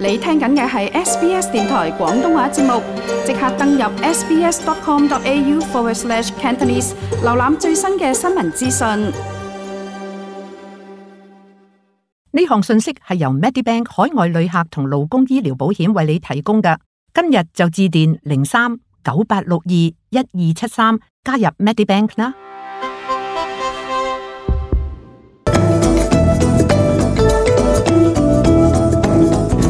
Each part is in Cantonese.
你聽緊嘅係 SBS 電台廣東話節目，即刻登入 sbs.com.au/Cantonese 瀏覽最新嘅新聞資訊。呢項信息係由 Medibank 海外旅客同勞工醫療保險為你提供嘅。今日就致電03-9862-1273加入 Medibank 啦。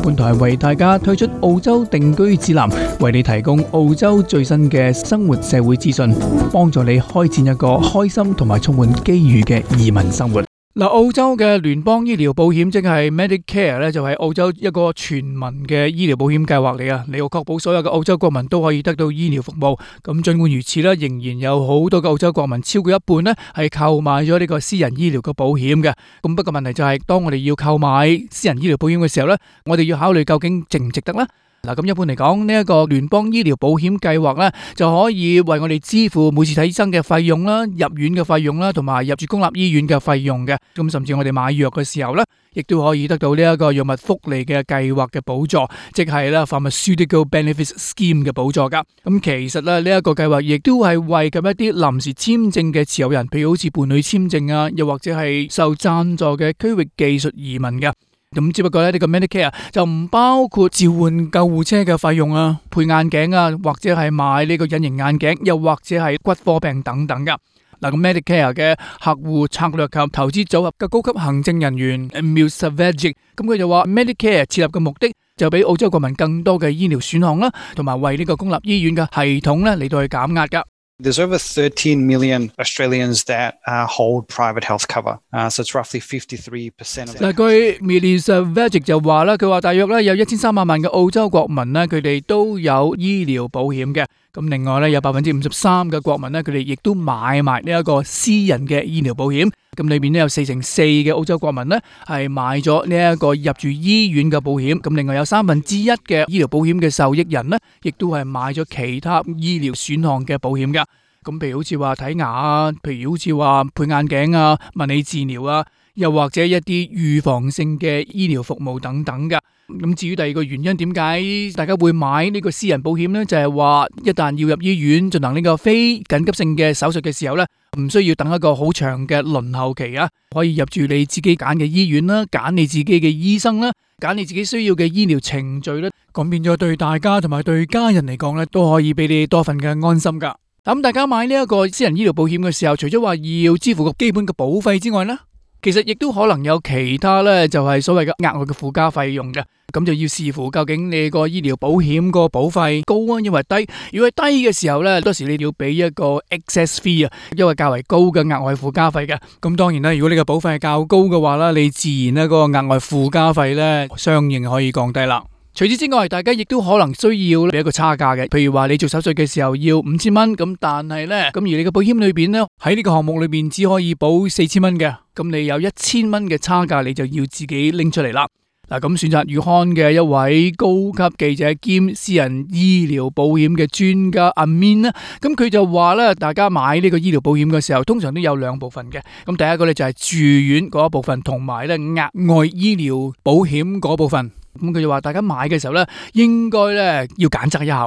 本台為大家推出澳洲定居指南，為你提供澳洲最新嘅生活社會資訊，幫助你開展一個開心同埋充滿機遇嘅移民生活。嗱，澳洲嘅聯邦醫療保險即係 Medicare 咧，就係澳洲一個全民嘅醫療保險計劃嚟啊！你要確保所有嘅澳洲國民都可以得到醫療服務。咁盡管如此咧，仍然有好多嘅澳洲國民，超過一半咧係購買咗呢個私人醫療嘅保險嘅。咁不過問題就係，當我哋要購買私人醫療保險嘅時候咧，我哋要考慮究竟值唔值得咧？嗱，咁一般嚟講，呢一個聯邦醫療保險計劃咧，就可以為我哋支付每次睇醫生嘅費用啦、入院嘅費用啦，同埋入住公立醫院嘅費用嘅。咁甚至我哋買藥嘅時候咧，亦都可以得到呢一個藥物福利嘅計劃嘅補助，即係咧 Pharmaceutical Benefits Scheme 嘅補助噶。咁其實咧，呢一個計劃亦都係為緊一啲臨時簽證嘅持有人，譬如好似伴侶簽證啊，又或者係受贊助嘅區域技術移民嘅。咁只不過咧，呢個 Medicare 就唔包括召喚救護車嘅費用啊、配眼鏡啊，或者係買呢個隱形眼鏡，又或者係骨科病等等噶。嗱，咁 Medicare 嘅客戶策略及投資組合嘅高級行政人員 Emil Savage， 咁佢就話 Medicare 設立嘅目的就俾澳洲國民更多嘅醫療選項啦，同埋為呢個公立醫院嘅系統咧嚟到去減壓噶。There's over 13 million Australians that hold private health cover, so it's roughly 53% of. 嗱，據 Melissa Vajik 就話啦，佢話大約咧有1300萬嘅澳洲國民咧，佢哋都有醫療保險嘅。咁另外咧有53%嘅國民咧，佢哋亦都買埋呢一個私人嘅醫療保險。咁裏邊咧有4%嘅澳洲國民咧係買咗呢一個入住醫院嘅保險。咁另外有1/3嘅醫療保險嘅受益人咧，亦都係買咗其他醫療選項嘅保險噶。咁譬如好似話睇牙啊，譬如好似話配眼鏡啊、物理治療啊，又或者一啲預防性嘅醫療服務等等噶。咁至於第二個原因，點解大家會買呢個私人保險呢？就係話一旦要入醫院進行呢個非緊急性嘅手術嘅時候呢，唔需要等一個好長嘅輪候期啊，可以入住你自己揀嘅醫院啦，揀你自己嘅醫生啦，揀你自己需要嘅醫療程序啦，咁變咗對大家同埋對家人嚟講呢，都可以俾你多份嘅安心噶。咁大家買呢一個私人醫療保險嘅時候，除咗話要支付個基本嘅保費之外呢，其實亦都可能有其他呢，就係所謂嘅額外嘅附加費用嘅。咁就要視乎究竟你個醫療保險個保費高啊，因為低。如果係低嘅時候呢，多時你要俾一個 excess fee 啊，因為較為高嘅額外附加費嘅。咁當然啦，如果你個保費係較高嘅話啦，你自然呢嗰個額外附加費呢，相應可以降低啦。除此之外，大家亦都可能需要俾一個差價嘅，譬如話你做手術嘅時候要5000蚊，咁但係呢，咁而你嘅保險裏邊呢，喺呢個項目裏邊只可以保4000蚊嘅，咁你有1000蚊嘅差價，你就要自己拎出嚟啦。嗱，咁選擇月刊嘅一位高級記者兼私人醫療保險嘅專家阿 Min 咧，咁佢就話咧，大家買呢個醫療保險嘅時候，通常都有兩部分嘅。咁第一個咧就係住院嗰一部分，同埋咧額外醫療保險嗰部分。咁佢就話，大家買嘅時候咧，應該咧要揀擇一下。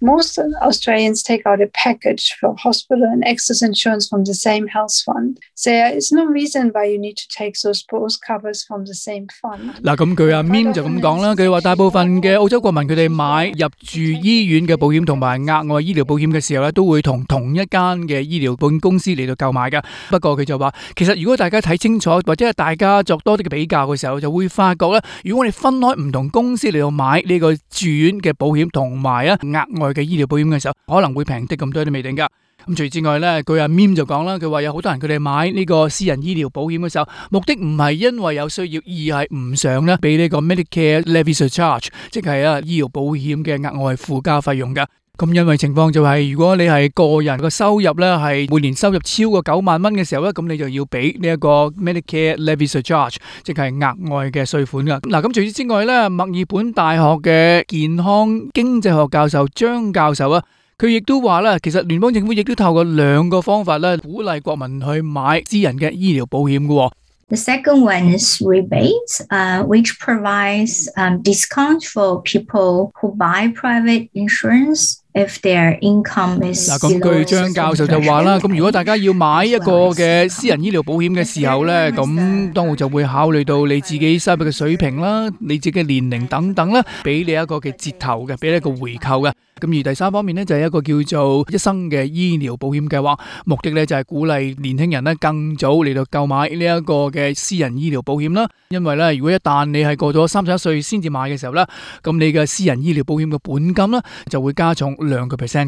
Most Australians take out a package for hospital and excess insurance from the same health fund. So there is no reason why you need to take those both covers from the same fund. 嗱，咁佢阿 Mim 就咁講啦，佢話大部分嘅澳洲國民佢哋買入住醫院嘅保險同埋額外醫療保險嘅時候咧，都會同同一間嘅醫療保險公司嚟到購買噶。不過佢就話，其實如果大家睇清楚或者係大家作多啲嘅比較嘅時候，就會發覺咧，如果我哋分開唔同公司嚟到買呢個住院嘅保險同埋啊額外嘅醫療保險嘅時候，可能會平啲咁多都未定噶。咁除此之外咧，佢阿 Mim 就講啦，佢話有好多人佢哋買呢個私人醫療保險嘅時候，目的唔係因為有需要，而係唔想咧俾呢個 Medicare Levy Surcharge， 即係啊醫療保險嘅額外附加費用噶。咁因為情況就係，如果你係個人個收入咧係每年收入超過9萬蚊嘅時候咧，咁你就要俾呢一個 Medicare Levy Surcharge， 即係額外嘅稅款噶。嗱，咁除此之外咧，墨爾本大學嘅健康經濟學教授張教授啊，佢亦都話啦，其實聯邦政府亦都透過兩個方法咧，鼓勵國民去買私人嘅醫療保險嘅。The second one is rebates, which provides discount for people who buy private insurance if their income is below 嗱，咁據張教授就話啦，咁如果大家要買一個嘅私人醫療保險嘅時候呢，咁當然就會考慮到你自己收入嘅水平啦，你自己嘅年齡等等啦，俾你一個嘅折頭嘅，俾你一個回扣嘅。咁而第三方面呢，就係一個叫做一生嘅醫療保險計劃，目的呢就係鼓勵年輕人呢更早嚟到購買呢一個嘅私人醫療保險啦。因為呢，如果一旦你係過咗31歲先至買嘅時候呢，咁你嘅私人醫療保險嘅本金呢就會加重2%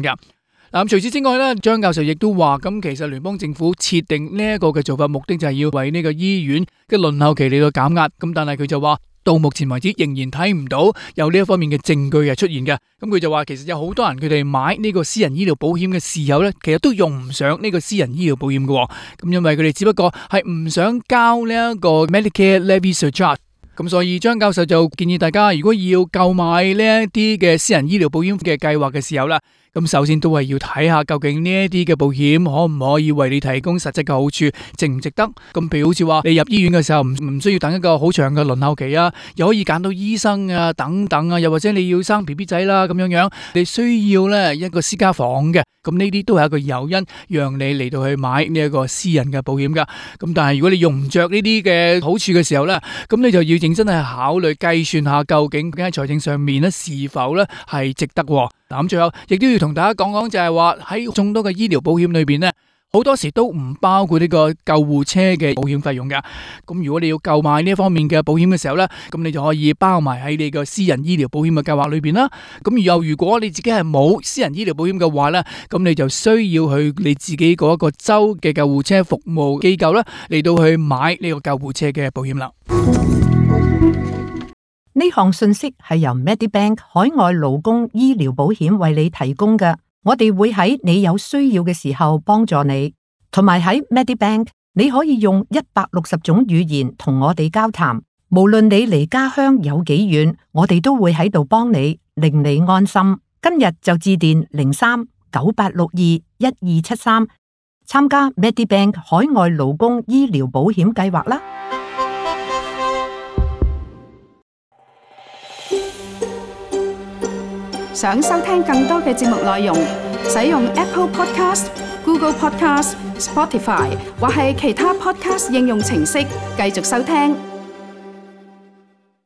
㗎。嗱，除此之外咧，張教授亦都話，咁其實聯邦政府設定呢一個嘅做法，目的就係要為呢個醫院嘅輪候期嚟到減壓。咁但係佢就話，到目前為止仍然睇唔到有呢一方面嘅證據係出現嘅。咁佢就話，其實有好多人佢哋買呢個私人醫療保險嘅時候咧，其實都用唔上呢個私人醫療保險嘅。咁因為佢哋只不過係唔想交呢一個 Medicare Levy Surcharge。咁所以張教授就建議大家，如果要購買呢一啲嘅私人醫療保險嘅計劃嘅時候啦，咁首先都係要睇下究竟呢一啲嘅保險可唔可以為你提供實質嘅好處，值唔值得？咁譬如好似話你入醫院嘅時候唔需要等一個好長嘅輪候期啊，又可以揀到醫生啊等等啊，又或者你要生 BB 仔啦咁樣樣，你需要咧一個私家房嘅，咁呢啲都係一個誘因，讓你嚟到去買呢一個私人嘅保險噶。咁但係如果你用唔着呢啲嘅好處嘅時候咧，咁你就要認真係考慮計算下究竟喺財政上面咧是否咧係值得。嗱，咁最後亦都要同大家講講，就係話喺眾多嘅醫療保險裏邊咧，好多時都唔包括呢個救護車嘅保險費用㗎。咁如果你要購買呢一方面嘅保險嘅時候咧，咁你就可以包埋喺你個私人醫療保險嘅計劃裏邊啦。咁又如果你自己係冇私人醫療保險嘅話咧，咁你就需要去你自己嗰一個州嘅救護車服務機構啦，嚟到去買呢個救護車嘅保險啦。呢項信息係由 Medibank 海外勞工醫療保險為你提供嘅，我哋會喺你有需要嘅時候幫助你，同埋喺 Medibank 你可以用160種語言同我哋交談，無論你離家鄉有幾遠，我哋都會喺度幫你，令你安心。今日就致電03-9862-1273參加 Medibank 海外勞工醫療保險計劃啦。想收聽更多嘅節目內容，使用 Apple Podcast、Google Podcast、Spotify 或係其他 Podcast 應用程式繼續收聽。